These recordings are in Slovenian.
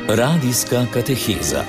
Radijska kateheza.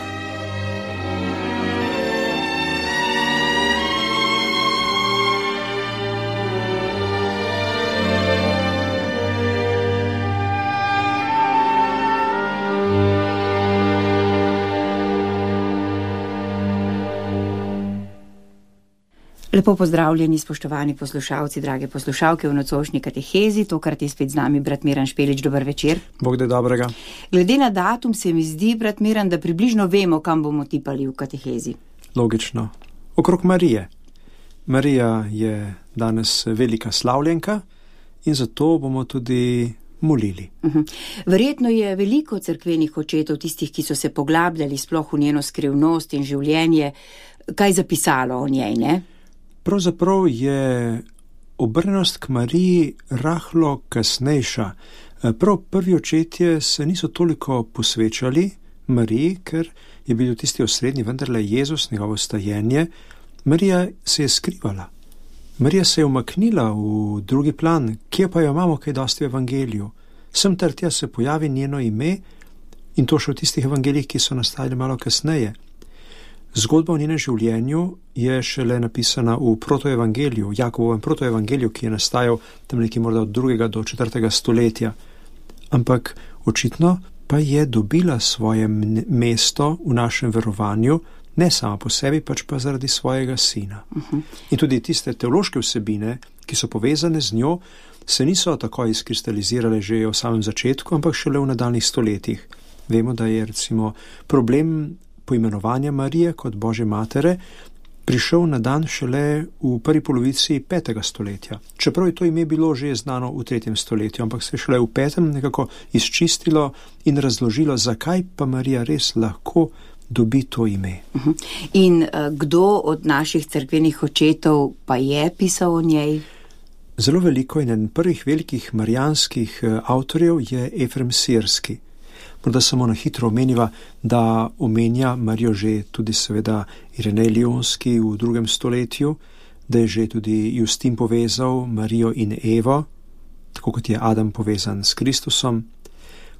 Lepo pozdravljeni, spoštovani poslušalci, drage poslušalke v nocojšnji katehezi. Tokrat je spet z nami brat Miran Špelič. Dober večer. Bog da dobrega. Glede na datum se mi zdi, brat Miran, da približno vemo, kam bomo tipali v katehezi. Logično. Okrog Marije. Marija je danes velika slavljenka in zato bomo tudi molili. Verjetno je veliko cerkvenih očetov, tistih, ki so se poglabljali sploh v njeno skrivnost in življenje, kaj zapisalo o njej, ne? Pravzaprav je obrnenost k Mariji rahlo kasnejša. Prav prvi očetje se niso toliko posvečali Mariji, ker je bil tisti osrednji vendarle Jezus, njegovo stajenje. Marija se je skrivala. Marija se je umaknila v drugi plan, kje pa jo imamo kaj dosti v evangeliju. Sem ter tja se pojavi njeno ime in to še v tistih evangelijih, ki so nastajali malo kasneje. Zgodba o njenem življenju je šele napisana v protoevangeliju, Jakobovem protoevangeliju, ki je nastajal tam nekje morda od 2. do 4. stoletja. Ampak očitno pa je dobila svoje mesto v našem verovanju, ne sama po sebi, pač pa zaradi svojega sina. In tudi tiste teološke vsebine, ki so povezane z njo, se niso tako izkristalizirale že v samem začetku, ampak šele v nadaljnjih stoletjih. Vemo, da je recimo problem poimenovanja Marije kot Božje matere prišel na dan šele v prvi polovici 5. stoletja. Čeprav je to ime bilo že znano v 3. stoletju, ampak se je šele v 5. nekako izčistilo in razložilo, zakaj pa Marija res lahko dobi to ime. In kdo od naših cerkvenih očetov pa je pisal o njej? Zelo veliko in eden prvih velikih marijanskih avtorjev je Efrem Sirski. Morda samo na hitro omeniva, da omenja Marijo že tudi seveda Irenej Lionski v 2. stoletju, da je že tudi Justin povezal Marijo in Evo, tako kot je Adam povezan s Kristusom.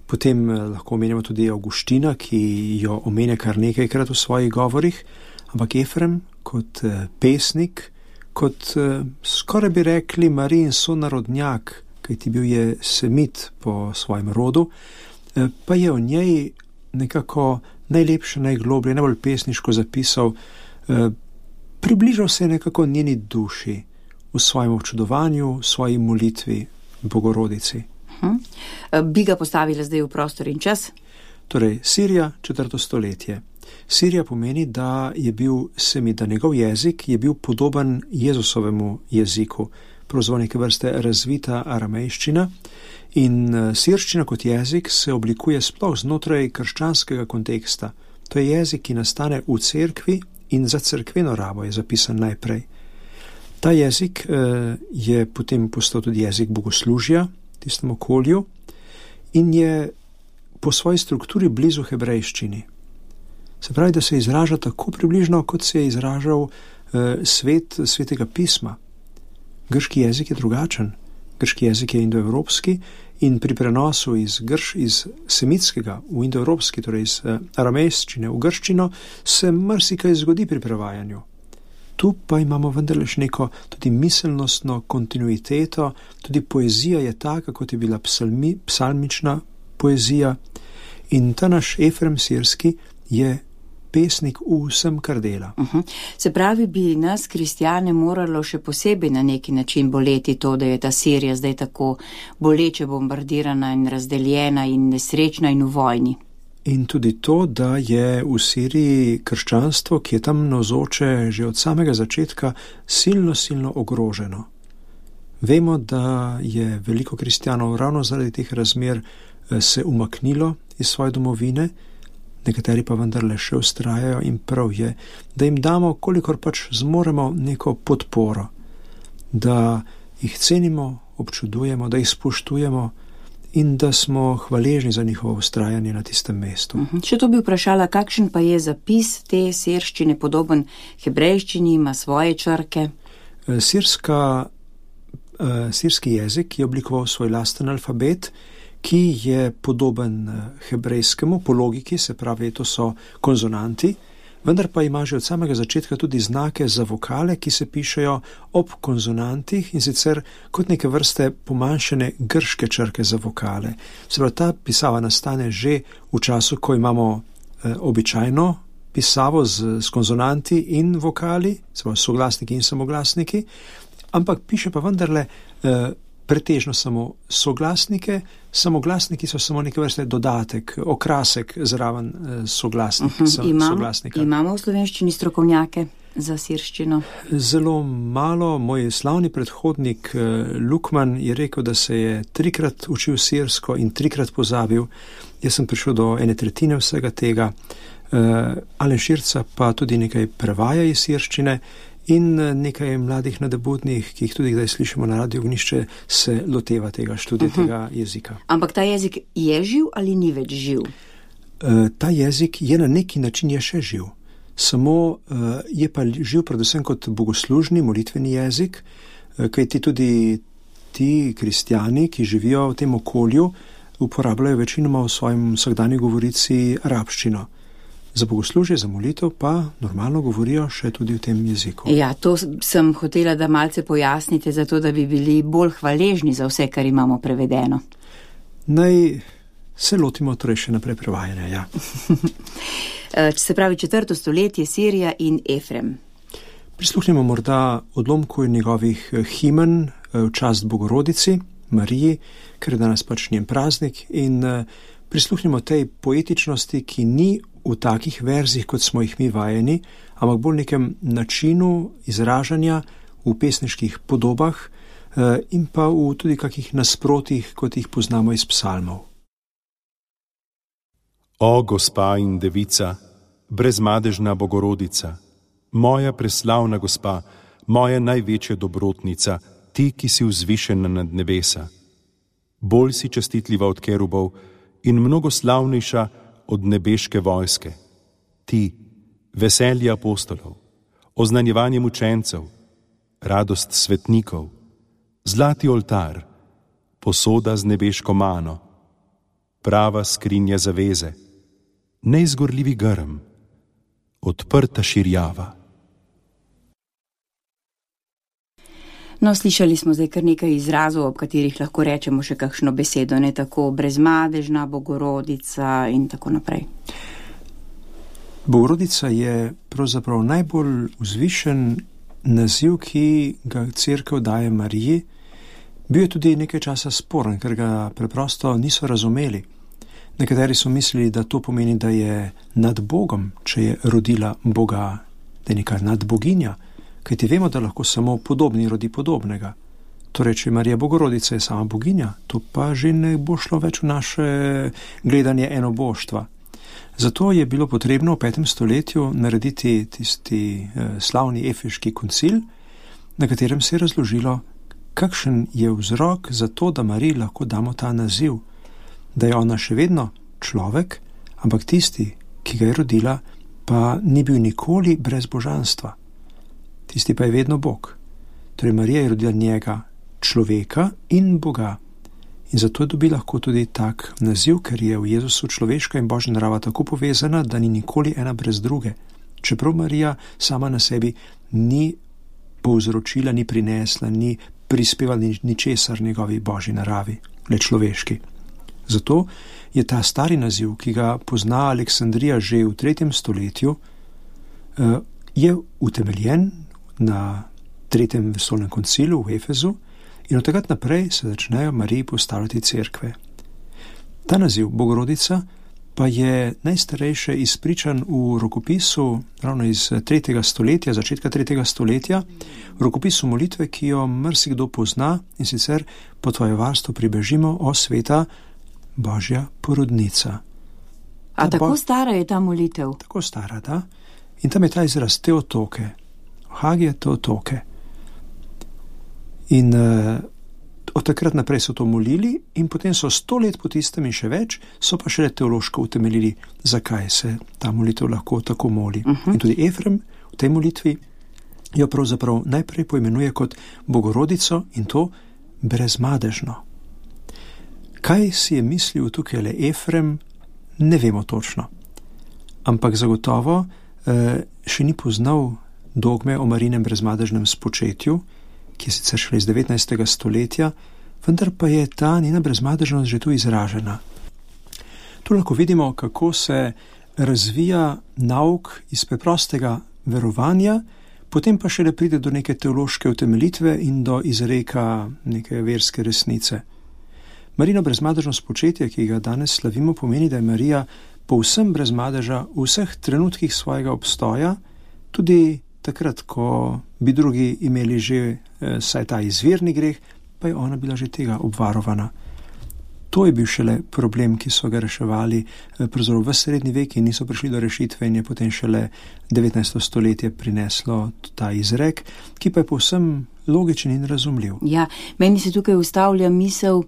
Potem lahko omenjamo tudi Avguština, ki jo omenja kar nekajkrat v svojih govorih, ampak Efrem kot pesnik, kot skoraj bi rekli Marijin sonarodnjak, kajti bil je semit po svojem rodu, pa je o njej nekako najlepše, najgloblje, najbolj pesniško zapisal, približal se nekako njeni duši v svojem občudovanju, v svoji molitvi Bogorodici. Bi ga postavila zdaj v prostor in čas? Torej, Sirija, 4. stoletje. Sirija pomeni, da je bil semit, da njegov jezik je bil podoben Jezusovemu jeziku, pravzaprav neke vrste razvita aramejščina. In sirščina kot jezik se oblikuje sploh znotraj krščanskega konteksta. To je jezik, ki nastane v cerkvi in za cerkveno rabo je zapisan najprej. Ta jezik je potem postal tudi jezik bogoslužja v tistem okolju in je po svoji strukturi blizu hebrejščini. Se pravi, da se izraža tako približno, kot se je izražal svet svetega pisma. Grški jezik je drugačen. Grški jezik je indoevropski in pri prenosu iz semitskega v indoevropski, torej iz aramejščine v grščino, se marsikaj zgodi pri prevajanju. Tu pa imamo vendarle še neko tudi miselnostno kontinuiteto, tudi poezija je taka, kot je bila psalmična poezija in ta naš Efrem Sirski je pesnik v vsem, kar dela. Se pravi, bi nas, kristjane, moralo še posebej na neki način boleti to, da je ta Sirija zdaj tako boleče bombardirana in razdeljena in nesrečna in v vojni. In tudi to, da je v Siriji krščanstvo, ki je tam navzoče že od samega začetka, silno ogroženo. Vemo, da je veliko kristjanov ravno zaradi teh razmer se umaknilo iz svoje domovine, nekateri pa vendarle še vztrajajo in prav je, da jim damo, kolikor pač zmoremo, neko podporo, da jih cenimo, občudujemo, da jih spoštujemo in da smo hvaležni za njihovo vztrajanje na tistem mestu. Še to bi vprašala, kakšen pa je zapis te sirščine, podoben hebrejščini, ima svoje črke? Sirski jezik je oblikoval svoj lasten alfabet, ki je podoben hebrejskemu po logiki, se pravi, to so konzonanti, vendar pa ima že od samega začetka tudi znake za vokale, ki se pišejo ob konzonantih in sicer kot neke vrste pomanjšane grške črke za vokale. Se pravi, ta pisava nastane že v času, ko imamo običajno pisavo s konzonanti in vokali, se pravi soglasniki in samoglasniki, ampak piše pa vendarle pretežno samo soglasnike, samoglasniki so samo neke vrste dodatek, okrasek zraven soglasnika. Imamo v slovenščini strokovnjake za sirščino? Zelo malo. Moj slavni predhodnik Lukman je rekel, da se je 3-krat učil sirsko in 3-krat pozabil. Jaz sem prišel do 1/3 vsega tega. Alen Širca pa tudi nekaj prevaja iz sirščine in nekaj mladih nadobudnih, ki jih tudi kdaj slišimo na Radio Ognjišče, se loteva tega študija tega jezika. Ampak ta jezik je živ ali ni več živ? Ta jezik je na neki način je še živ. Samo je pa živ predvsem kot bogoslužni, molitveni jezik, kajti tudi ti kristjani, ki živijo v tem okolju, uporabljajo večinoma v svojem vsakdanji govorici arabščino. Za bogoslužje, za molitev pa normalno govorijo še tudi v tem jeziku. Ja, to sem hotela, da malce pojasnite, zato da bi bili bolj hvaležni za vse, kar imamo prevedeno. Naj se lotimo torej še naprej prevajanja, ja. Se pravi 4. stoletje, Sirija in Efrem. Prisluhnimo morda odlomku njegovih himen v čast Bogorodici, Mariji, ker je danes pač njen praznik, in prisluhnimo tej poetičnosti, ki ni v takih verzih, kot smo jih mi vajeni, ampak bolj nekem načinu izražanja v pesniških podobah in pa v tudi kakih nasprotih, kot jih poznamo iz psalmov. O gospa in devica, brezmadežna Bogorodica, moja preslavna gospa, moja največja dobrotnica, ti, ki si vzvišena nad nebesa. Bolj si častitljiva od kerubov in mnogo slavnejša od nebeške vojske. Ti, veselje apostolov, oznanjevanje mučencev, radost svetnikov, zlati oltar, posoda z nebeško mano, prava skrinja zaveze, neizgorljivi grm, odprta širjava. No, slišali smo zdaj kar nekaj izrazov, ob katerih lahko rečemo še kakšno besedo, ne tako brezmadežna Bogorodica in tako naprej. Bogorodica je pravzaprav najbolj vzvišen naziv, ki ga Cerkev daje Mariji. Bil je tudi nekaj časa sporen, ker ga preprosto niso razumeli. Nekateri so mislili, da to pomeni, da je nad Bogom, če je rodila Boga, da je neka nadboginja. Kajti vemo, da lahko samo podobni rodi podobnega. Torej, če Marija Bogorodica je sama boginja, to pa že ne bo šlo več v naše gledanje enoboštva. Zato je bilo potrebno v 5. stoletju narediti tisti slavni efeški koncil, na katerem se je razložilo, kakšen je vzrok za to, da Mariji lahko damo ta naziv, da je ona še vedno človek, ampak tisti, ki ga je rodila, pa ni bil nikoli brez božanstva. Tisti pa je vedno Bog. Torej Marija je rodila njega, človeka in Boga. In zato dobi lahko tudi tak naziv, ker je v Jezusu človeška in božja narava tako povezana, da ni nikoli ena brez druge. Čeprav Marija sama na sebi ni povzročila, ni prinesla, ni prispevala ničesar njegovi božji naravi, le človeški. Zato je ta stari naziv, ki ga pozna Aleksandrija že v 3. stoletju, je utemeljen na 3. vesoljnem koncilu v Efezu in od takrat naprej se začnejo Mariji postavljati cerkve. Ta naziv Bogorodica pa je najstarejše izpričan v rokopisu ravno iz 3. stoletja, začetka 3. stoletja, v rokopisu molitve, ki jo marsikdo pozna, in sicer po tvoje varstvo pribežimo, o sveta Božja porodnica. A tako stara je ta molitev? Tako stara, da. In tam je ta izraz Teotoke. Hagija Teotoke. In od takrat naprej so to molili in potem so 100 let po tistem in še več, so pa šele teološko utemeljili, zakaj se ta molitev lahko tako moli. In tudi Efrem v tej molitvi jo pravzaprav najprej poimenuje kot Bogorodico in to brezmadežno. Kaj si je mislil tukaj le Efrem, ne vemo točno. Ampak zagotovo še ni poznal dogme o Marijinem brezmadežnem spočetju, ki je sicer šele iz 19. stoletja, vendar pa je ta njena brezmadežnost že tu izražena. Tu lahko vidimo, kako se razvija nauk iz preprostega verovanja, potem pa šele pride do neke teološke utemeljitve in do izreka neke verske resnice. Marijino brezmadežno spočetje, ki ga danes slavimo, pomeni, da je Marija povsem brez madeža v vseh trenutkih svojega obstoja, tudi takrat, ko bi drugi imeli že saj ta izvirni greh, pa je ona bila že tega obvarovana. To je bil šele problem, ki so ga reševali pravzaprav v srednji vek in niso prišli do rešitve in je potem šele 19. stoletje prineslo ta izrek, ki pa je povsem logičen in razumljiv. Ja, meni se tukaj ustavlja misel,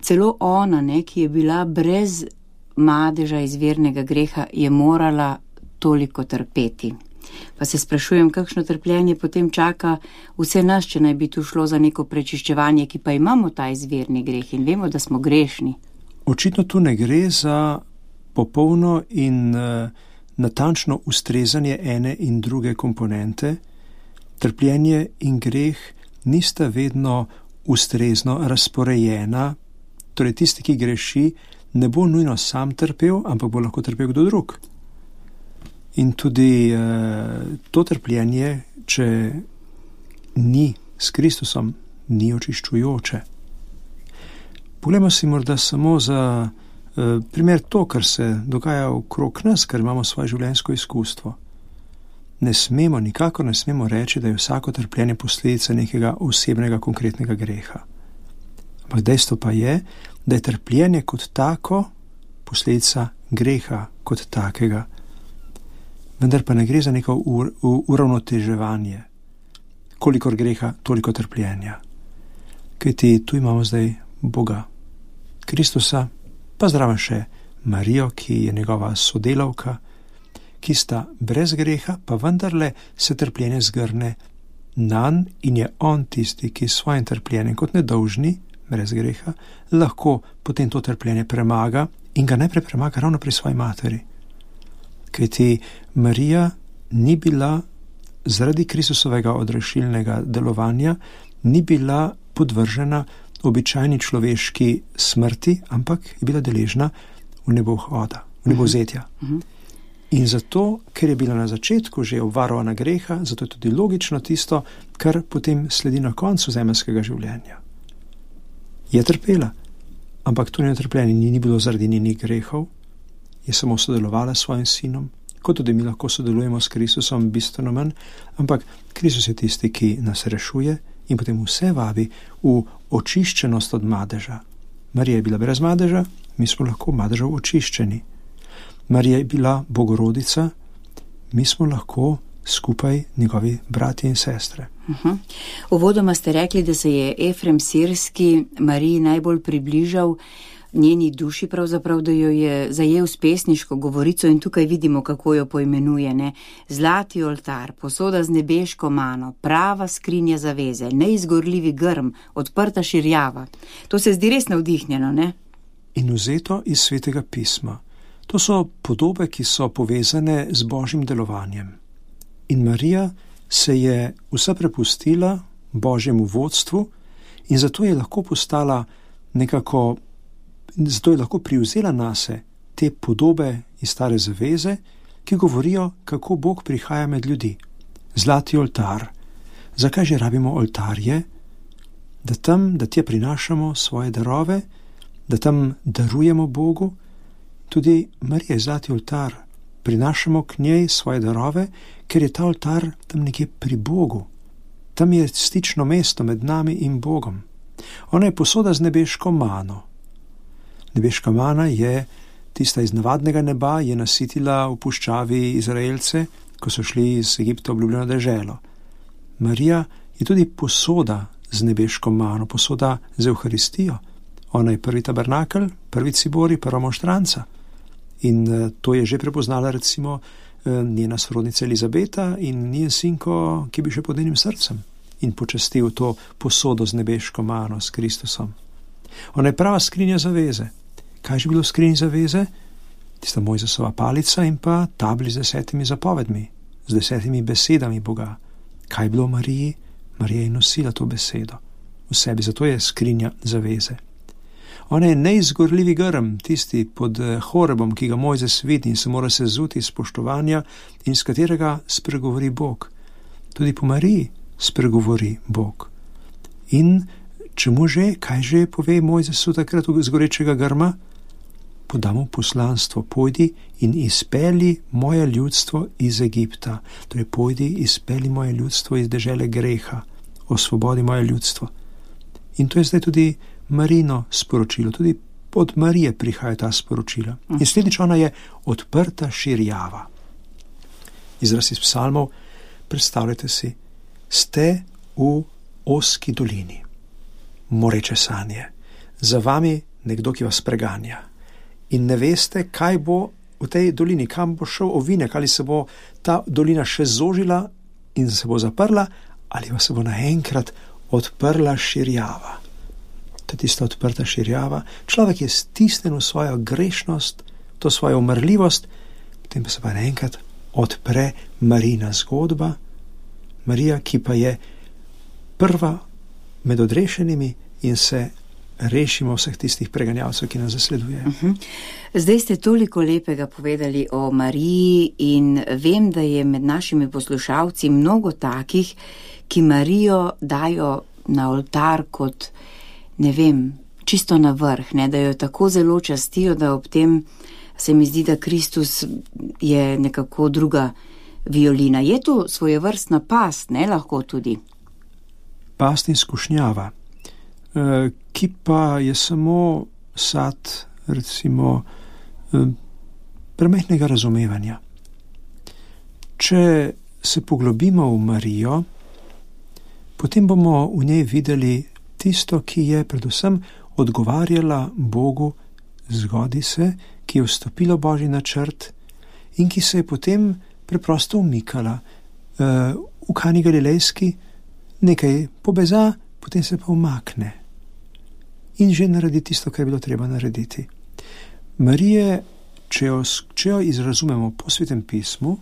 celo ona, ki je bila brez madeža izvirnega greha, je morala toliko trpeti. Pa se sprašujem, kakšno trpljenje potem čaka vse nas, če naj bi tu šlo za neko prečiščevanje, ki pa imamo ta izvirni greh in vemo, da smo grešni. Očitno tu ne gre za popolno in natančno ustrezanje ene in druge komponente. Trpljenje in greh nista vedno ustrezno razporejena, torej tisti, ki greši, ne bo nujno sam trpel, ampak bo lahko trpel kdo drug. In tudi to trpljenje, če ni s Kristusom, ni očiščujoče. Poglejmo si morda samo za primer to, kar se dogaja okrog nas, ker imamo svoje življenjsko izkustvo. Nikakor ne smemo reči, da je vsako trpljenje posledica nekega osebnega, konkretnega greha. Ampak dejstvo pa je, da je trpljenje kot tako posledica greha kot takega. Vendar pa ne gre za neko uravnoteževanje. Kolikor greha, toliko trpljenja. Kajti tu imamo zdaj Boga, Kristusa, pa zraven še Marijo, ki je njegova sodelavka, ki sta brez greha, pa vendarle se trpljenje zgrne nanj in je on tisti, ki s svojim trpljenjem kot nedolžni, brez greha, lahko potem to trpljenje premaga in ga najprej premaga ravno pri svoji materi. Kajti Marija ni bila zaradi Kristusovega odrešilnega delovanja, ni bila podvržena običajni človeški smrti, ampak je bila deležna v nebovhoda, v nebovzetja. In zato, ker je bila na začetku že obvarovana greha, zato je tudi logično tisto, kar potem sledi na koncu zemeljskega življenja. Je trpela, ampak to njeno trpljenje ni bilo zaradi njenih grehov, je samo sodelovala s svojim sinom, kot tudi mi lahko sodelujemo s Kristusom bistveno manj, ampak Kristus je tisti, ki nas rešuje in potem vse vabi v očiščenost od madeža. Marija je bila brez madeža, mi smo lahko madežev očiščeni. Marija je bila bogorodica, mi smo lahko skupaj njegovi bratje in sestre. Uvodoma ste rekli, da se je Efrem Sirski Mariji najbolj približal njeni duši, pravzaprav, da jo je zajel s pesniško govorico in tukaj vidimo, kako jo poimenuje, ne? Zlati oltar, posoda z nebeško mano, prava skrinja zaveze, neizgorljivi grm, odprta širjava. To se zdi res navdihnjeno, ne? In vzeto iz Svetega pisma. To so podobe, ki so povezane z Božjim delovanjem. In Marija se je vsa prepustila Božjemu vodstvu in zato je lahko postala nekako, zato je lahko privzela nase te podobe iz Stare zaveze, ki govorijo, kako Bog prihaja med ljudi. Zlati oltar. Zakaj že rabimo oltarje? Da tja prinašamo svoje darove, da tam darujemo Bogu. Tudi Marija je zlati oltar. Prinašamo k njej svoje darove, ker je ta oltar tam nekje pri Bogu. Tam je stično mesto med nami in Bogom. Ona je posoda z nebeško mano. Nebeška mana je tista iz navadnega neba, je nasitila v puščavi Izraelce, ko so šli iz Egipta v obljubljeno deželo. Marija je tudi posoda z nebeško mano, posoda z Evharistijo. Ona je prvi tabernakel, prvi cibori, prva monštranca. In to je že prepoznala recimo njena sorodnica Elizabeta in njen sinko, ki bi še pod njenim srcem in počastil to posodo z nebeško mano, s Kristusom. Ona je prava skrinja zaveze. Kaj je že bilo v skrinji zaveze? Tista Mojzesova palica in pa tabli z 10 zapovedmi, z 10 besedami Boga. Kaj je bilo v Mariji? Marija je nosila to besedo v sebi, zato je skrinja zaveze. Ona je neizgorljivi grm, tisti pod Horebom, ki ga Mojzes vidi in se mora sezuti iz spoštovanja in z katerega spregovori Bog. Tudi po Mariji spregovori Bog. In čemu že, kaj že pove Mojzesu takrat z gorečega grma? Podamo poslanstvo, pojdi in izpelji moje ljudstvo iz Egipta. Torej, pojdi, izpelji moje ljudstvo iz dežele greha, osvobodi moje ljudstvo. In to je zdaj tudi Marino sporočilo, tudi od Marije prihaja ta sporočila. In sledič ona je odprta širjava. Izraz iz psalmov, predstavljajte si, ste v ozki dolini, moreče sanje, za vami nekdo, ki vas preganja. In ne veste, kaj bo v tej dolini, kam bo šel ovinek, ali se bo ta dolina še zožila in se bo zaprla, ali pa se bo naenkrat odprla širjava. To je tista odprta širjava. Človek je stisnen v svojo grešnost, to svojo umrljivost, potem pa se pa naenkrat odpre Marina zgodba. Marija, ki pa je prva med odrešenimi in se rešimo vseh tistih preganjalcev, ki nas zasledujejo. Zdaj ste toliko lepega povedali o Mariji in vem, da je med našimi poslušalci mnogo takih, ki Marijo dajo na oltar kot, ne vem, čisto na vrh, ne, da jo tako zelo častijo, da ob tem se mi zdi, da Kristus je nekako druga violina. Je to svojevrstna past, ne, lahko tudi? Past in skušnjava, ki pa je samo sad, recimo, premajhnega razumevanja. Če se poglobimo v Marijo, potem bomo v njej videli tisto, ki je predvsem odgovarjala Bogu, zgodi se, ki je vstopila v Božji načrt in ki se je potem preprosto umikala. V Kani Galilejski nekaj pobeza, potem se pa umakne in že naredi tisto, kar je bilo treba narediti. Marije, če jo izrazumemo po Svetem pismu,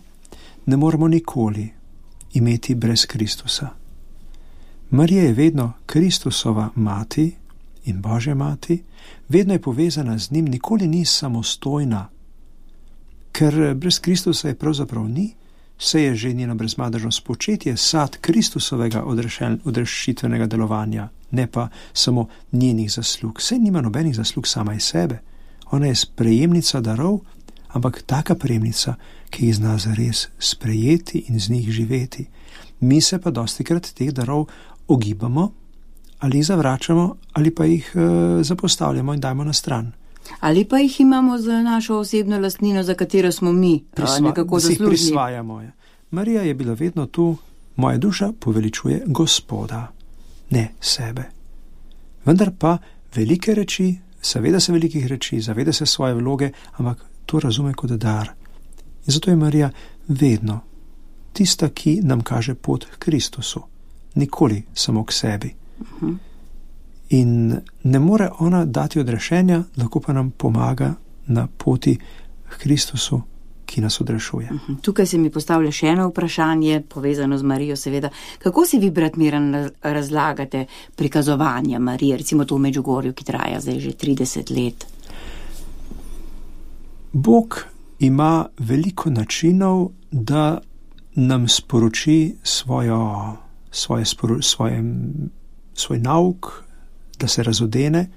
ne moremo nikoli imeti brez Kristusa. Marija je vedno Kristusova mati in Božja mati, vedno je povezana z njim, nikoli ni samostojna, ker brez Kristusa je pravzaprav ni, se je že njeno brezmadežno spočetje sad Kristusovega odrešitvenega delovanja, ne pa samo njenih zaslug. Saj nima nobenih zaslug sama iz sebe. Ona je sprejemnica darov, ampak taka prejemnica, ki jih zna zares sprejeti in z njih živeti. Mi se pa dostikrat teh darov ogibamo, ali jih zavračamo, ali pa jih zapostavljamo in dajmo na stran. Ali pa jih imamo za našo osebno lastnino, za katero smo mi nekako zaslužni. Prisvajamo. Marija je bila vedno tu, moja duša poveličuje Gospoda, ne sebe. Vendar pa velike reči, zaveda se velikih reči, zaveda se svoje vloge, ampak to razume kot dar. In zato je Marija vedno tista, ki nam kaže pot k Kristusu, nikoli samo k sebi. In ne more ona dati odrešenja, lahko pa nam pomaga na poti k Kristusu, ki nas odrešuje. Tukaj se mi postavlja še eno vprašanje, povezano z Marijo seveda. Kako si vi, brat Miran, razlagate prikazovanja Marije, recimo to v Medžugorju, ki traja zdaj že 30 let? Bog ima veliko načinov, da nam sporoči svoj nauk, da se razodene.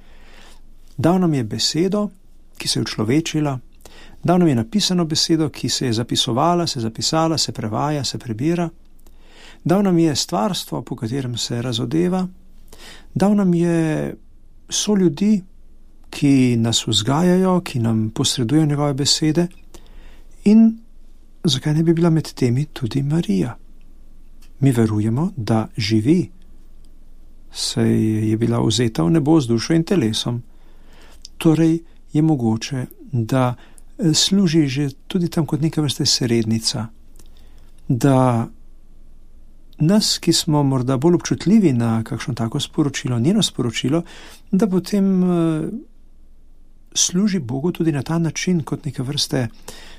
Dal nam je besedo, ki se je učlovečila, dal nam je napisano besedo, ki se je zapisovala, se zapisala, se prevaja, se prebira. Dal nam je stvarstvo, po katerem se razodeva. Dal nam je soljudi, ki nas vzgajajo, ki nam posredujejo njegove besede. In zakaj ne bi bila med temi tudi Marija? Mi verujemo, da živi, saj je bila vzeta v nebo z dušo in telesom. Torej je mogoče, da služi že tudi tam kot neka vrste srednica, da nas, ki smo morda bolj občutljivi na kakšno tako sporočilo, njeno sporočilo, da potem služi Bogu tudi na ta način, kot neke vrste,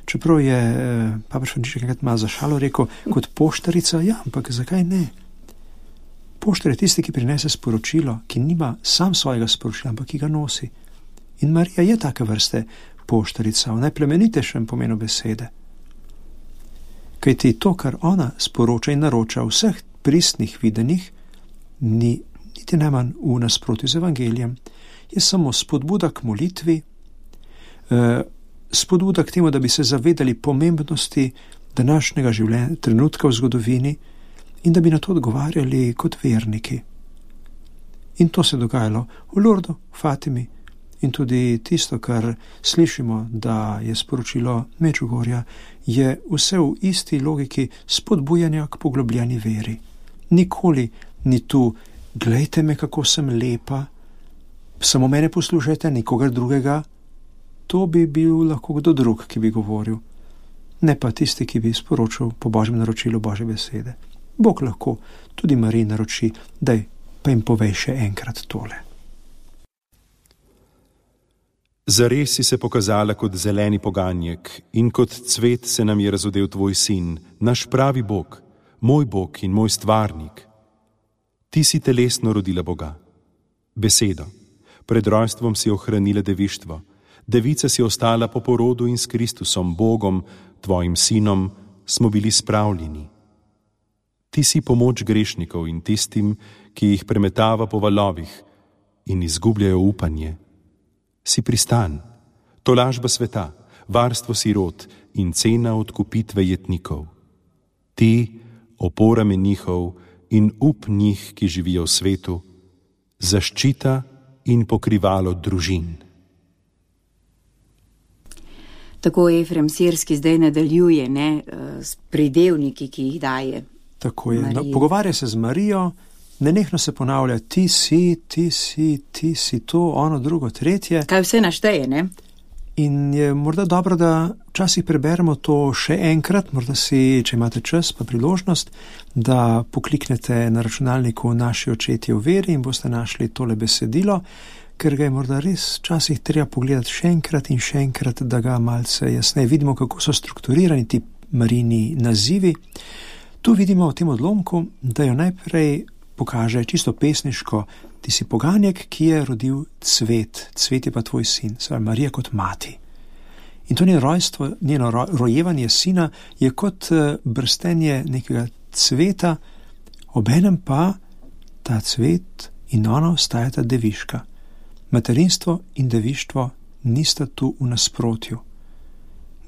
čeprav je papež Frančišek enkrat malo za šalo rekel, kot poštarica, ja, ampak zakaj ne? Poštar je tisti, ki prinese sporočilo, ki nima sam svojega sporočila, ampak ki ga nosi. In Marija je take vrste poštarica, v najplemenitejšem pomenu besede. Kajti to, kar ona sporoča in naroča v vseh pristnih videnjih, ni niti najmanj v nasprotju z evangelijem, je samo spodbuda k molitvi, spodbuda k temu, da bi se zavedali pomembnosti današnjega trenutka v zgodovini in da bi na to odgovarjali kot verniki. In to se je dogajalo v Lurdu, Fatimi, in tudi tisto, kar slišimo, da je sporočilo Medžugorja, je vse v isti logiki spodbujanja k poglobljeni veri. Nikoli ni tu, glejte me, kako sem lepa, samo mene poslušajte, nikogar drugega. To bi bil lahko kdo drug, ki bi govoril. Ne pa tisti, ki bi sporočil po Božjem naročilu Božje besede. Bog lahko tudi Mariji naroči, daj pa jim povej še enkrat tole. Zares si se pokazala kot zeleni poganjek in kot cvet se nam je razodel tvoj sin, naš pravi Bog, moj Bog in moj stvarnik. Ti si telesno rodila Boga. Besedo. Pred rojstvom si ohranila devištvo. Devica si ostala po porodu in s Kristusom, Bogom, tvojim sinom, smo bili spravljeni. Ti si pomoč grešnikov in tistim, ki jih premetava po valovih in izgubljajo upanje. Si pristan, tolažba sveta, varstvo sirot in cena odkupitve jetnikov. Ti, opora menihov in up njih, ki živijo v svetu, zaščita in pokrivalo družin. Tako Efrem Sirski zdaj nadaljuje, s pridevniki, ki jih daje. Tako je. No, pogovarja se z Marijo, nenehno se ponavlja, ti si to, ono, drugo, tretje. Kaj vse našteje, ne? In je morda dobro, da včasih preberemo to še enkrat, morda si, če imate čas pa priložnost, da pokliknete na računalniku Naši očetje v veri in boste našli tole besedilo, ker ga je morda res včasih treba pogledati še enkrat, da ga malce jasneje vidimo, kako so strukturirani ti Marijini nazivi. Tu vidimo v tem odlomku, da jo najprej pokaže čisto pesniško, ti si poganjek, ki je rodil cvet, cvet je pa tvoj sin, Marija kot mati. In to njeno rojstvo, njeno rojevanje sina je kot brstenje nekega cveta, obenem pa ta cvet in ona ostajata deviška. Materinstvo in devištvo nista tu v nasprotju.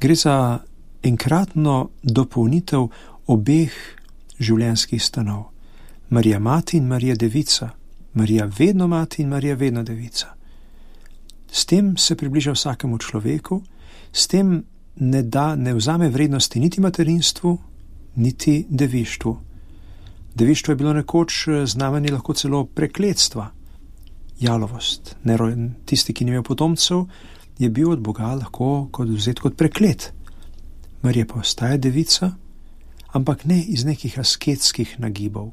Gre za enkratno dopolnitev obeh življenjskih stanov. Marija mati in Marija devica. Marija vedno mati in Marija vedno devica. S tem se približa vsakemu človeku, s tem ne vzame vrednosti niti materinstvu, niti devištvu. Devištvo je bilo nekoč znamenje lahko celo prekletstva. Jalovost. Tisti, ki ni imel potomcev, je bil od Boga lahko vzet kot preklet. Marija pa ostaja devica, ampak ne iz nekih asketskih nagibov.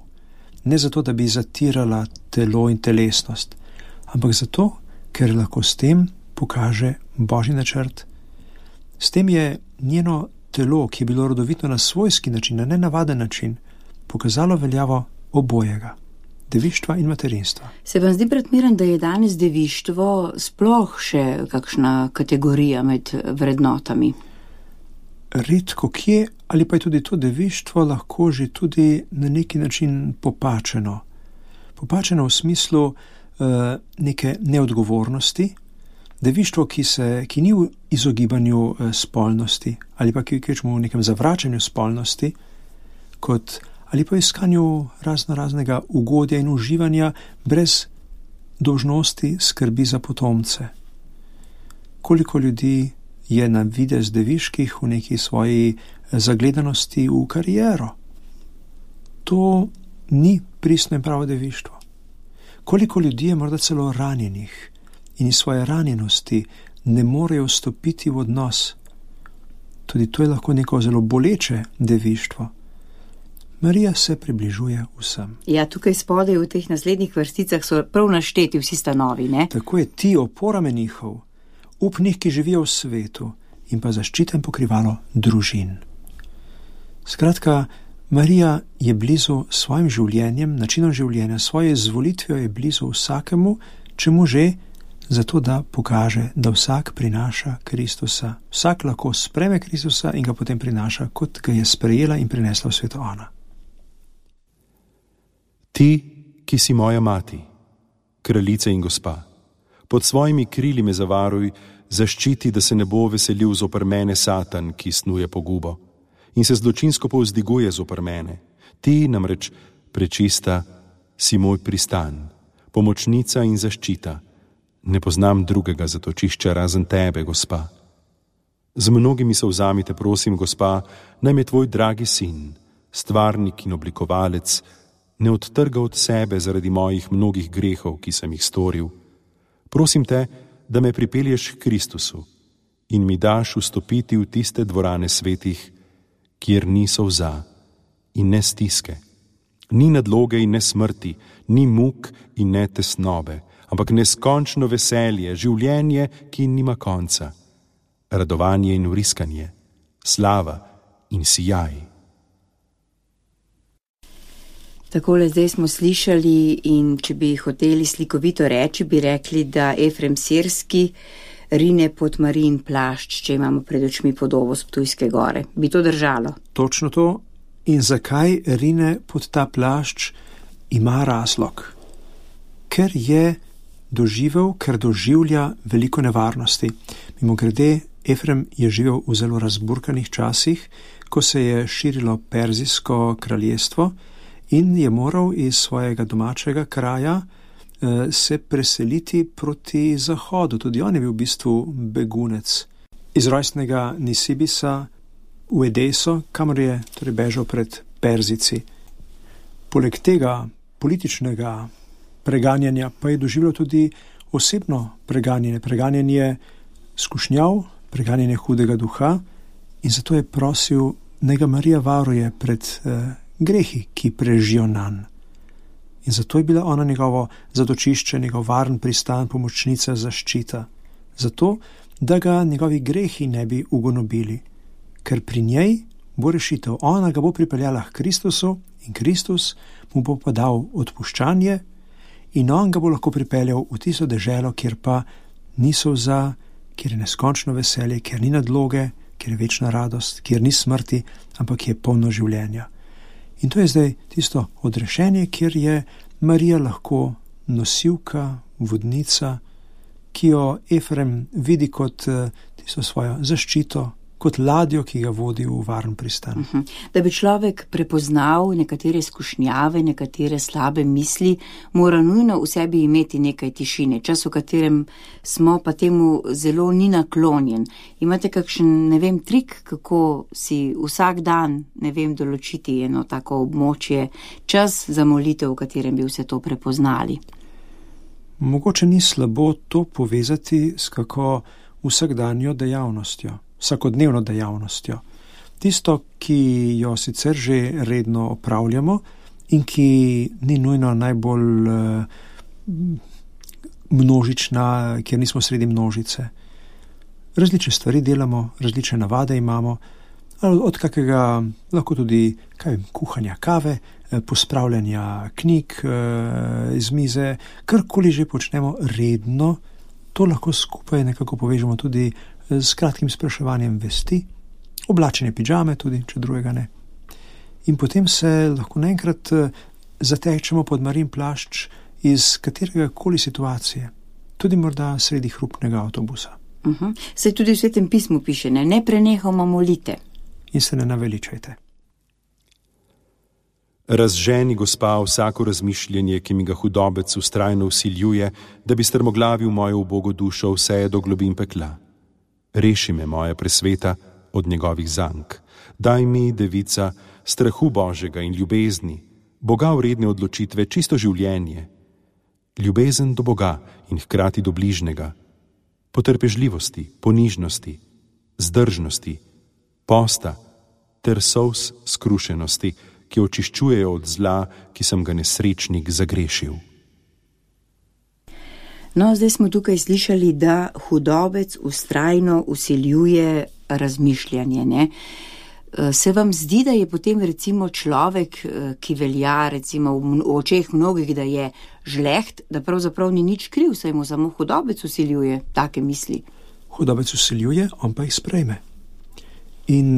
Ne zato, da bi zatirala telo in telesnost, ampak zato, ker lahko s tem pokaže Božji načrt. S tem je njeno telo, ki je bilo rodovitno na svojski način, na nenavaden način, pokazalo veljavo obojega, devištva in materinstva. Se vam zdi predmeren, da je danes devištvo sploh še kakšna kategorija med vrednotami? Redko kje, ali pa je tudi to devištvo lahko že tudi na neki način popačeno. Popačeno v smislu neke neodgovornosti, devištvo, ki ni v izogibanju spolnosti, ali pa ki je v nekem zavračanju spolnosti, ali pa iskanju raznega ugodja in uživanja brez dolžnosti skrbi za potomce. Koliko ljudi je na videz deviških v neki svoji zagledanosti v kariero. To ni pristno in pravo devištvo. Koliko ljudi je morda celo ranjenih in iz svoje ranjenosti ne morejo vstopiti v odnos. Tudi to je lahko neko zelo boleče devištvo. Marija se približuje vsem. Ja, tukaj spodaj v teh naslednjih vrsticah so prav našteti vsi stanovi, ne? Tako je, ti opora menihov, upnih, ki živijo v svetu, in pa zaščita in pokrivalo družin. Skratka, Marija je blizu svojim življenjem, načinom življenja, svoje izvolitvijo je blizu vsakemu, čemu že, zato da pokaže, da vsak prinaša Kristusa. Vsak lahko sprejme Kristusa in ga potem prinaša, kot ga je sprejela in prinesla v svetu ona. Ti, ki si moja mati, kraljica in gospa, pod svojimi krili me zavaruj, zaščiti, da se ne bo veselil zoper mene Satan, ki snuje pogubo in se zločinsko povzdiguje zoper mene. Ti namreč, prečista, si moj pristan, pomočnica in zaščita. Ne poznam drugega zatočišča razen tebe, gospa. Z mnogimi solzami te prosim, gospa, naj me tvoj dragi sin, stvarnik in oblikovalec, ne odtrga od sebe zaradi mojih mnogih grehov, ki sem jih storil. Prosim te, da me pripelješ k Kristusu in mi daš vstopiti v tiste dvorane svetih, kjer ni solza in ne stiske, ni nadloge in ne smrti, ni muk in ne tesnobe, ampak neskončno veselje, življenje, ki nima konca, radovanje in vriskanje, slava in sijaj. Takole zdaj smo slišali in če bi hoteli slikovito reči, bi rekli, da Efrem Sirski rine pod Marijin plašč, če imamo pred očmi podobo s Ptujske gore. Bi to držalo? Točno to. In zakaj rine pod ta plašč, ima razlog. Ker je doživel, ker doživlja veliko nevarnosti. Mimogrede, Efrem je živel v zelo razburkanih časih, ko se je širilo Perzijsko kraljestvo in je moral iz svojega domačega kraja se preseliti proti zahodu. Tudi on je bil v bistvu begunec. Iz rojstnega Nisibisa v Edeso, kamor je torej bežal pred Perzijci. Poleg tega političnega preganjanja pa je doživljal tudi osebno preganjanje skušnjav, preganjanje hudega duha in zato je prosil, naj ga Marija varuje pred grehi, ki prežijo nanj. In zato je bila ona njegovo zatočišče, njegov varen pristan, pomočnica, zaščita. Zato, da ga njegovi grehi ne bi ugonobili. Ker pri njej bo rešitev. Ona ga bo pripeljala k Kristusu in Kristus mu bo pa dal odpuščanje in on ga bo lahko pripeljal v tisto deželo, kjer pa ni solza, kjer je neskončno veselje, kjer ni nadloge, kjer je večna radost, kjer ni smrti, ampak je polno življenja. In to je zdaj tisto odrešenje, kjer je Marija lahko nosilka, vodnica, ki jo Efrem vidi kot tisto svojo zaščito, kot ladjo, ki ga vodi v varen pristan. Da bi človek prepoznal nekatere skušnjave, nekatere slabe misli, mora nujno v sebi imeti nekaj tišine. Čas, v katerem smo, pa temu zelo ni naklonjen. Imate kakšen, trik, kako si vsak dan, določiti eno tako območje, čas za molitev, v katerem bi vse to prepoznali? Mogoče ni slabo to povezati s kako vsakdanjo dejavnostjo. Vsakodnevno dejavnostjo. Tisto, ki jo sicer že redno opravljamo in ki ni nujno najbolj množična, kjer nismo sredi množice. Različne stvari delamo, različne navade imamo, od kakega lahko tudi kuhanja kave, pospravljanja knjig iz mize, karkoli že počnemo redno, to lahko skupaj nekako povežemo tudi s kratkim spraševanjem vesti, oblačenje pidžame tudi, če drugega ne. In potem se lahko naenkrat zatečemo pod Marijin plašč iz katerega koli situacije, tudi morda sredi hrupnega avtobusa. Saj tudi v Svetem pismu piše, ne prenehoma molite. In se ne naveličajte. Razženi, gospa, vsako razmišljanje, ki mi ga hudobec vztrajno vsiljuje, da bi strmoglavil mojo ubogo dušo vse do globin pekla. Reši me, moja presveta, od njegovih zank. Daj mi, devica, strahu Božjega in ljubezni, Boga vredne odločitve, čisto življenje, ljubezen do Boga in hkrati do bližnega, potrpežljivosti, ponižnosti, zdržnosti, posta ter solz skrušenosti, ki očiščujejo od zla, ki sem ga nesrečnik zagrešil. No, zdaj smo tukaj slišali, da hudobec vztrajno vsiljuje razmišljanje, ne? Se vam zdi, da je potem recimo človek, ki velja recimo v očeh mnogih, da je žleht, da pravzaprav ni nič kriv, saj mu samo hudobec vsiljuje take misli? Hudobec vsiljuje, on pa jih sprejme. In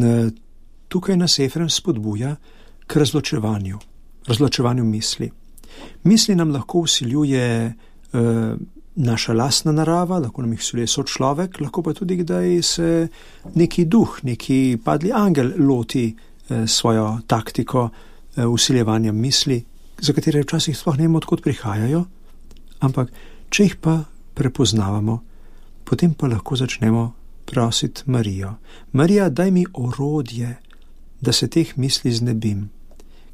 tukaj nas Efrem spodbuja k razločevanju misli. Misli nam lahko vsiljuje naša lastna narava, lahko nam jih vsiljuje sočlovek, lahko pa tudi kdaj se neki duh, neki padli angel loti svojo taktiko vsiljevanja misli, za katere včasih sploh ne vemo, odkot prihajajo, ampak če jih pa prepoznavamo, potem pa lahko začnemo prositi Marijo. Marija, daj mi orodje, da se teh misli znebim,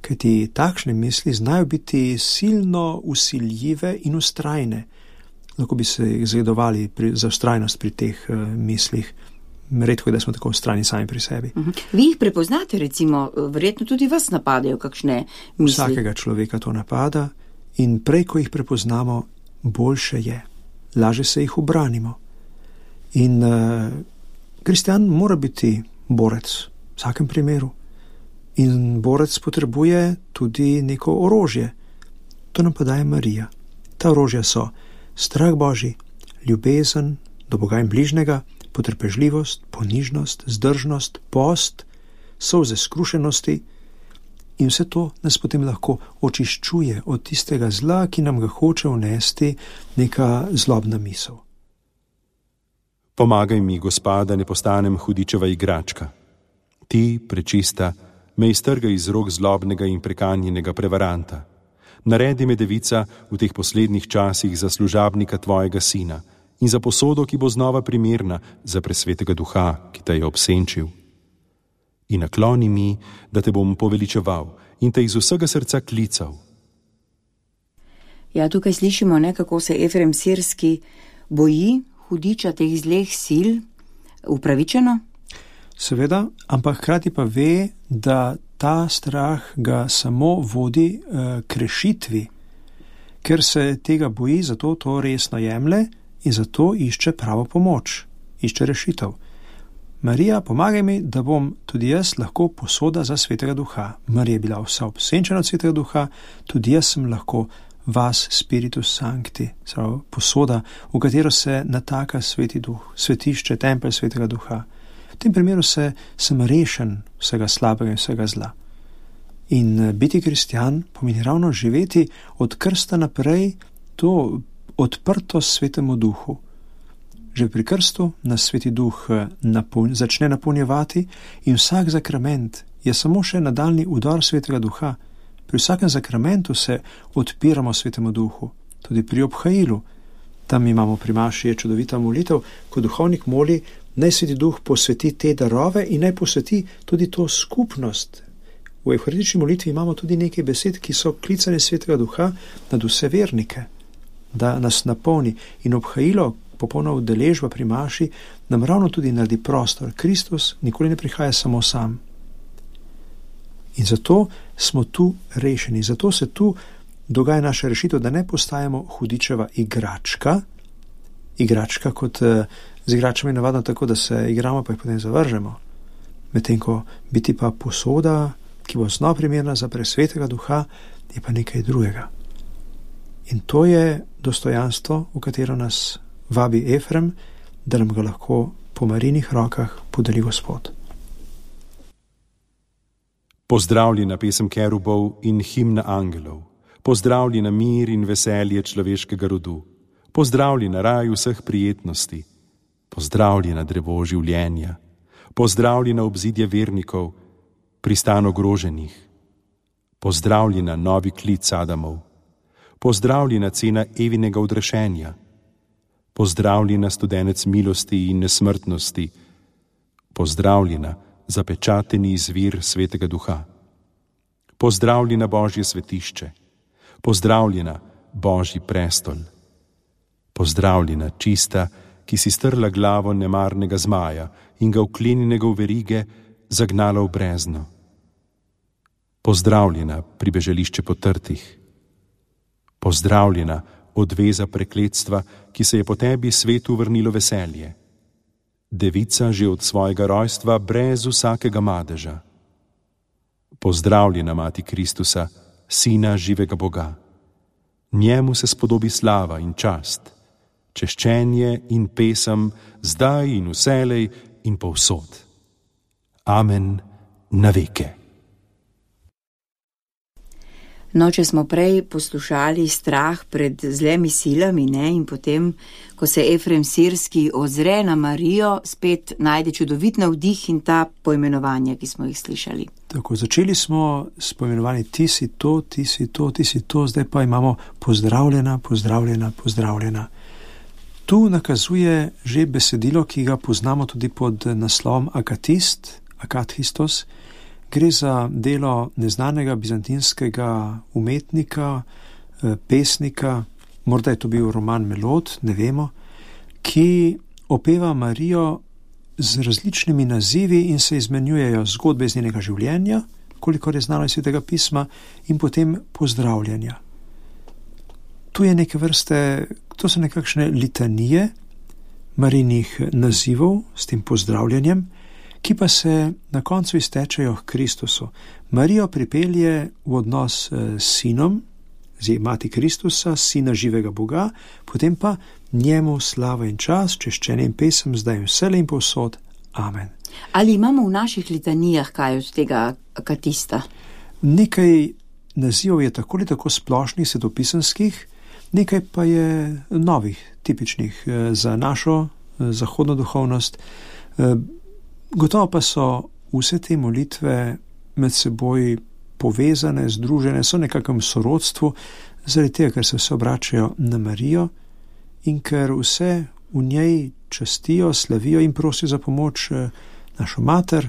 kajti takšne misli znajo biti silno vsiljive in vztrajne. Lahko bi se jih zgledovali za vztrajnost pri teh mislih. Redko je, da smo tako vztrajni sami pri sebi. Vi jih prepoznate, recimo, verjetno tudi vas napadajo kakšne misli? Vsakega človeka to napada in prej, ko jih prepoznamo, boljše je. Laže se jih ubranimo. In kristjan mora biti borec v vsakem primeru. In borec potrebuje tudi neko orožje. To nam pa daje Marija. Ta orožja so strah Božji, ljubezen do Boga in bližnjega, potrpežljivost, ponižnost, zdržnost, post, solze skrušenosti in vse to nas potem lahko očiščuje od tistega zla, ki nam ga hoče vnesti neka zlobna misel. Pomagaj mi, Gospa, da ne postanem hudičeva igračka. Ti, prečista, me iztrgaj iz rok zlobnega in prekanjenega prevaranta. Naredi me, devica, v teh poslednjih časih za služabnika tvojega sina in za posodo, ki bo znova primerna za presvetega duha, ki te je obsenčil. In nakloni mi, da te bom poveličeval in te iz vsega srca klical. Ja, tukaj slišimo, kako se Efrem Sirski boji hudiča teh zleh sil, upravičeno? Seveda, ampak hkrati pa ve, da ta strah ga samo vodi k rešitvi, ker se tega boji, zato to resno jemlje in zato išče pravo pomoč, išče rešitev. Marija, pomagaj mi, da bom tudi jaz lahko posoda za svetega duha. Marija je bila vsa obsenčena od svetega duha, tudi jaz sem lahko vas spiritus sancti, posoda, v katero se nataka sveti duh, svetišče, tempelj svetega duha. V tem primeru sem rešen vsega slabega in vsega zla. In biti kristjan pomeni ravno živeti od krsta naprej to odprtost svetemu duhu. Že pri krstu nas sveti duh začne napolnjevati in vsak zakrament je samo še nadaljni udor svetega duha. Pri vsakem zakramentu se odpiramo svetemu duhu, tudi pri obhajilu. Tam imamo pri maši je čudovita molitev, ko duhovnik moli, naj sveti duh posveti te darove in naj posveti tudi to skupnost. V evharistični molitvi imamo tudi nekaj besed, ki so klicane svetega duha nad vse vernike, da nas napolni. In obhajilo, popolna udeležba pri maši, nam ravno tudi naredi prostor. Kristus nikoli ne prihaja samo sam. In zato smo tu rešeni, zato se tu dogaja naša rešitev, da ne postajamo hudičeva igračka. Igračka kot z igračami navadno tako, da se igramo, pa jih potem zavržemo. Medtem ko biti pa posoda, ki bo znova primerna za presvetega duha, je pa nekaj drugega. In to je dostojanstvo, v katero nas vabi Efrem, da nam ga lahko po Marijinih rokah podeli Gospod. Pozdravljena pesem kerubov in himna angelov, pozdravljena mir in veselje človeškega rodu, pozdravljena raj vseh prijetnosti, pozdravljena drevo življenja, pozdravljena obzidje vernikov, pristan ogroženih, pozdravljena novi klic Adamov, pozdravljena cena Evinega odrešenja, pozdravljena studenec milosti in nesmrtnosti, pozdravljena zapečateni izvir svetega duha, pozdravljena Božje svetišče, pozdravljena Božji prestol, pozdravljena čista, ki si strla glavo nemarnega zmaja in ga vklenjenega v verige zagnala v brezno. Pozdravljena, pribežališče potrtih. Pozdravljena, odveza prekletstva, ki se je po tebi svetu vrnilo veselje. Devica že od svojega rojstva brez vsakega madeža. Pozdravljena, Mati Kristusa, Sina živega Boga. Njemu se spodobi slava in čast, češčenje in pesem, zdaj in vselej in povsod. Amen na veke. No, če smo prej poslušali strah pred zlemi silami, ne, in potem, ko se Efrem Sirski ozre na Marijo, spet najde čudovit navdih in ta poimenovanja, ki smo jih slišali. Tako, začeli smo s poimenovanjem ti si to, ti si to, ti si to, zdaj pa imamo pozdravljena, pozdravljena, pozdravljena. Tu nakazuje že besedilo, ki ga poznamo tudi pod naslovom akatist, akathistos. Gre za delo neznanega bizantinskega umetnika, pesnika, morda je to bil Roman Melod, ne vemo, ki opeva Marijo z različnimi nazivi in se izmenjujejo zgodbe iz njenega življenja, kolikor je znano iz Svetega pisma, in potem pozdravljanja. Tu je neke vrste, to so nekakšne litanije Marijinih nazivov s tem pozdravljanjem, ki pa se na koncu iztečejo k Kristusu. Marijo pripelje v odnos s sinom, z Mati Kristusa, Sina živega Boga, potem pa njemu slava in čas, češčenje in pesem, zdaj in vselej in povsod. Amen. Ali imamo v naših litanijah kaj od tega akatista? Nekaj nazivov je tako ali tako splošnih, svetopisanskih, nekaj pa je novih, tipičnih za našo zahodno duhovnost. Gotovo pa so vse te molitve med seboj povezane, združene, so nekakšnem sorodstvu, zaradi tega, ker se vse obračajo na Marijo in ker vse v njej častijo, slavijo in prosijo za pomoč našo mater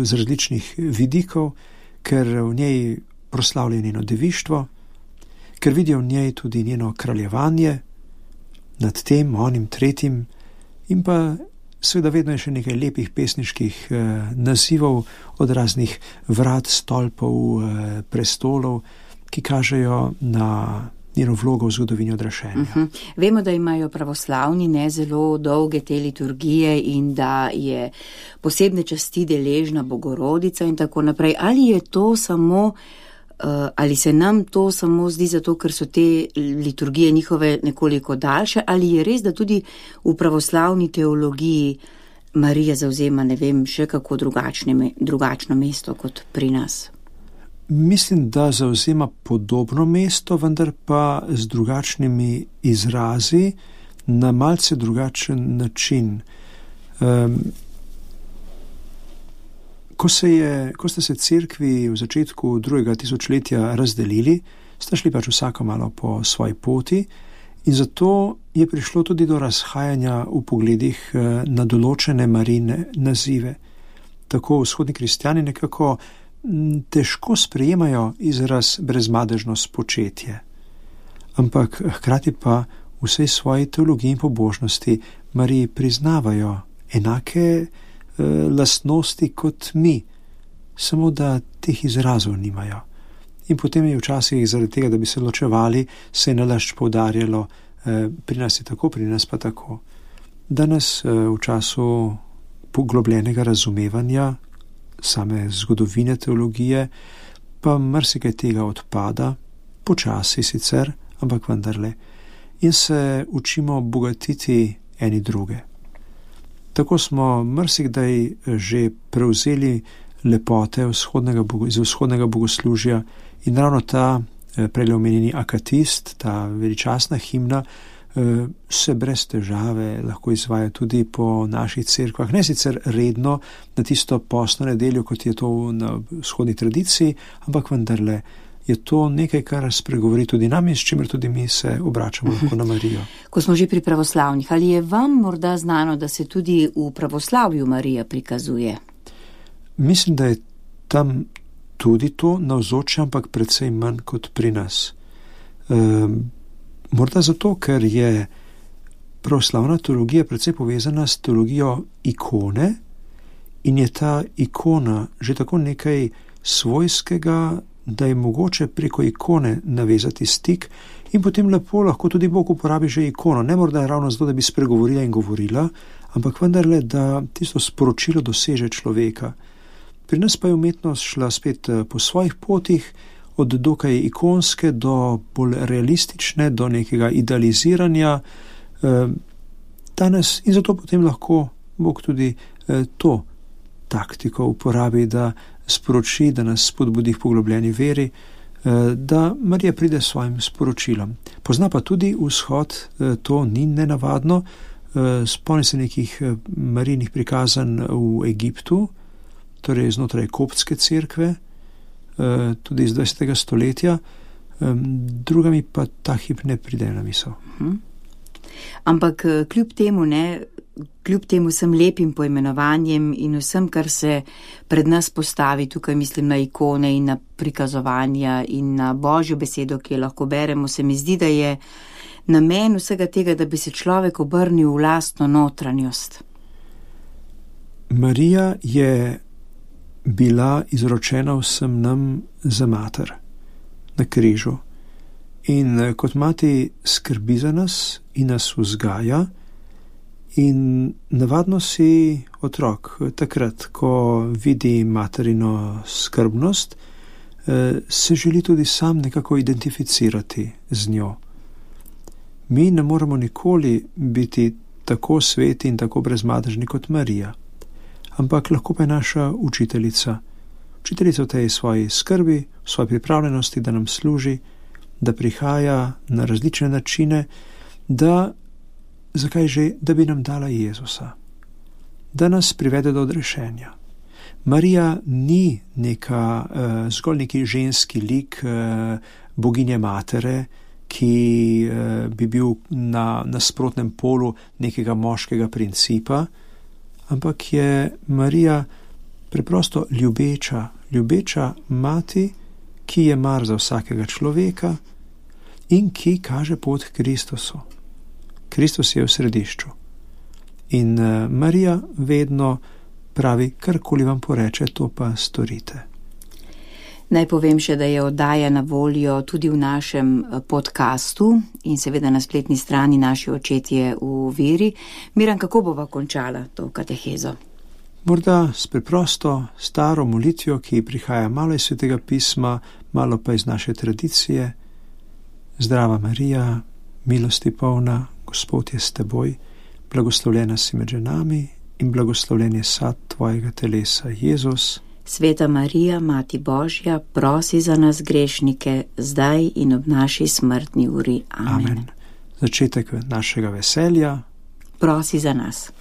z različnih vidikov, ker v njej proslavljajo njeno devištvo, ker vidijo v njej tudi njeno kraljevanje nad tem, onim, tretjim, in pa seveda vedno je še nekaj lepih pesniških nazivov od raznih vrat, stolpov, prestolov, ki kažejo na njeno vlogo v zgodovini odraščenja. Vemo, da imajo pravoslavni ne zelo dolge te liturgije in da je posebne časti deležna Bogorodica in tako naprej. Ali je to samo, ali se nam to samo zdi zato, ker so te liturgije njihove nekoliko daljše, ali je res, da tudi v pravoslavni teologiji Marija zavzema, ne vem, še kako drugačno mesto kot pri nas? Mislim, da zavzema podobno mesto, vendar pa z drugačnimi izrazi, na malce drugačen način. Ko ste se cerkvi v začetku 2. tisočletja razdelili, sta šli pač vsako malo po svoji poti in zato je prišlo tudi do razhajanja v pogledih na določene Marijine nazive. Tako vzhodni kristjani nekako težko sprejemajo izraz brezmadežno spočetje, ampak hkrati pa v vsej svoji teologiji in pobožnosti Mariji priznavajo enake lastnosti kot mi, samo da teh izrazov nimajo. In potem je včasih zaradi tega, da bi se ločevali, se je nalašč poudarjalo, pri nas je tako, pri nas pa tako. Danes v času poglobljenega razumevanja same zgodovine teologije pa marsikaj tega odpada, počasi sicer, ampak vendarle, in se učimo bogatiti eni druge. Tako smo marsikdaj že prevzeli lepote iz vzhodnega bogoslužja in ravno ta prej omenjeni akatist, ta veličastna himna, se brez težave lahko izvaja tudi po naših cerkvah, ne sicer redno na tisto postno nedeljo, kot je to na vzhodni tradiciji, ampak vendarle je to nekaj, kar spregovori tudi nam in s čimer tudi mi se obračamo lahko na Marijo. Ko smo že pri pravoslavnih, ali je vam morda znano, da se tudi v pravoslavju Marija prikazuje? Mislim, da je tam tudi to navzoče, ampak precej manj kot pri nas. Morda zato, ker je pravoslavna teologija precej povezana s teologijo ikone in je ta ikona že tako nekaj svojskega, da je mogoče preko ikone navezati stik in potem lepo lahko tudi Bog uporabi že ikono. Ne morda ravno zato, da bi spregovorila in govorila, ampak vendarle, da tisto sporočilo doseže človeka. Pri nas pa je umetnost šla spet po svojih potih, od dokaj ikonske do bolj realistične, do nekega idealiziranja danes, in zato potem lahko Bog tudi to taktiko uporabi, da sporoči, da nas spodbudi k poglobljeni veri, da Marija pride s svojim sporočilom. Pozna pa tudi vzhod, to ni nenavadno. Spomni se nekih Marijinih prikazanj v Egiptu, torej znotraj koptske cerkve, tudi iz 20. stoletja, drugami pa ta hip ne pride na misel. Ampak kljub temu vsem lepim poimenovanjem in vsem, kar se pred nas postavi, tukaj mislim na ikone in na prikazovanja in na Božjo besedo, ki jo lahko beremo, se mi zdi, da je namen vsega tega, da bi se človek obrnil v lastno notranjost. Marija je bila izročena vsem nam za mater na križu. In kot mati skrbi za nas in nas vzgaja, in navadno si otrok takrat, ko vidi materino skrbnost, se želi tudi sam nekako identificirati z njo. Mi ne moremo nikoli biti tako sveti in tako brezmadežni kot Marija, ampak lahko pa je naša učiteljica v tej svoji skrbi, v svoji pripravljenosti, da nam služi, da prihaja na različne načine, da bi nam dala Jezusa, da nas privede do odrešenja. Marija ni zgolj neki ženski lik boginje matere, ki bi bil na nasprotnem polu nekega moškega principa, ampak je Marija preprosto ljubeča mati, ki je mar za vsakega človeka in ki kaže pot k Kristusu. Kristus je v središču. In Marija vedno pravi, karkoli vam poreče, to pa storite. Naj povem še, da je oddaja na voljo tudi v našem podcastu in seveda na spletni strani Naši očetje v veri. Miran, kako bova končala to katehezo? Morda s preprosto staro molitvijo, ki prihaja malo iz Svetega pisma, malo pa iz naše tradicije. Zdrava Marija, milosti polna, Gospod je s teboj, blagoslovljena si med ženami in blagoslovljen je sad tvojega telesa, Jezus. Sveta Marija, Mati Božja, prosi za nas grešnike, zdaj in ob naši smrtni uri. Amen. Začetek našega veselja. Prosi za nas.